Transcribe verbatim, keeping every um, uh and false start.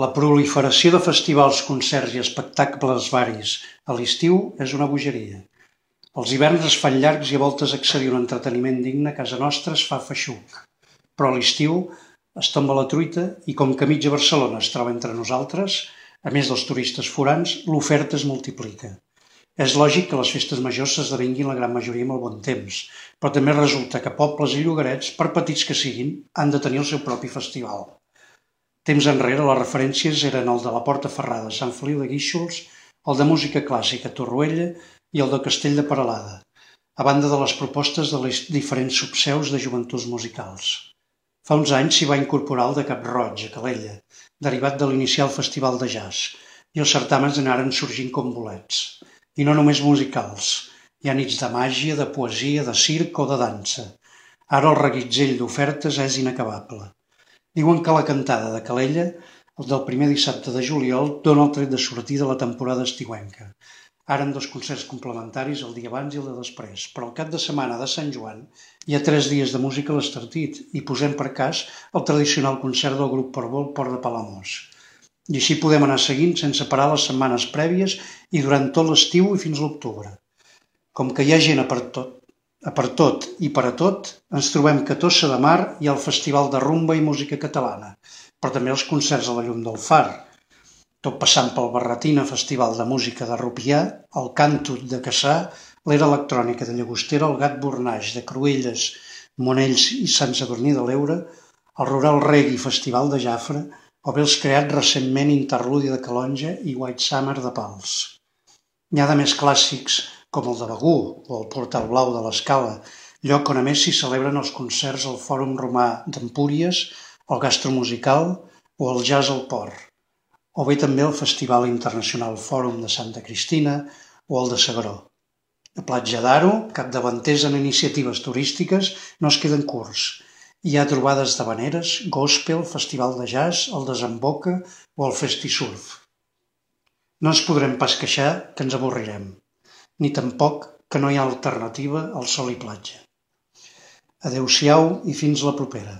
La proliferació de festivals, concerts i espectacles varis a l'estiu és una bogeria. Els hiverns es fan llargs i a voltes accedir a un entreteniment digne a casa nostra es fa feixuc. Però a l'estiu es tomba la truita i com que mitja Barcelona es troba entre nosaltres, a més dels turistes forans, l'oferta es multiplica. És lògic que les festes majors s'esdevinguin la gran majoria amb el bon temps, però també resulta que pobles i llogarets, per petits que siguin, han de tenir el seu propi festival. Temps enrere les referències eren el de la Porta Ferrada a Sant Feliu de Guíxols, el de música clàssica a Torroella i el de Castell de Peralada, a banda de les propostes de les diferents subseus de joventuts musicals. Fa uns anys s'hi va incorporar el de Cap-roig, a Calella, derivat de l'inicial festival de jazz, i els certàmens anaren sorgint com bolets. I no només musicals, hi ha nits de màgia, de poesia, de circ o de dansa. Ara el reguitzell d'ofertes és inacabable. Diuen que la cantada de Calella, el del primer dissabte de juliol, dona el tret de sortida a la temporada estiuenca. Ara amb dos concerts complementaris el dia abans i el de després, però al cap de setmana de Sant Joan hi ha tres dies de música a l'Estartit i posem per cas el tradicional concert del grup Portbou al Port de Palamós. I així podem anar seguint sense parar les setmanes prèvies i durant tot l'estiu i fins a l'octubre. Com que hi ha gent a per tot, a per tot i per a tot, ens trobem que a Tossa de Mar hi ha el Festival de Rumba i Música Catalana, però també els concerts a la Llum del Far, tot passant pel Barretina Festival de Música de Rupià, el Càntut de Cassà, l'Era Electrònica de Llagostera, el Gat Bornaix de Cruïlles, Monells i Sant Sadurní de l'Eure, el Rural Reggae Festival de Jafre, o bé els creats recentment Interludi de Calonja i White Summer de Pals. N'hi ha de més clàssics com el de Begur o el Portal Blau de l'Escala, lloc on a més s'hi celebren els concerts al Fòrum Romà d'Empúries, el Gastromusical o el Jazz al Port, o bé també el Festival Internacional Fòrum de Santa Cristina o el de S'Agaró. A Platja d'Aro, capdavanters en iniciatives turístiques, no es queden curts. Hi ha trobades d'havaneres, gospel, festival de jazz, el Desemboca o el Festisurf. No ens podrem pas queixar que ens avorrirem, ni tampoc que no hi ha alternativa al sol i platja. Adéu-siau i fins la propera.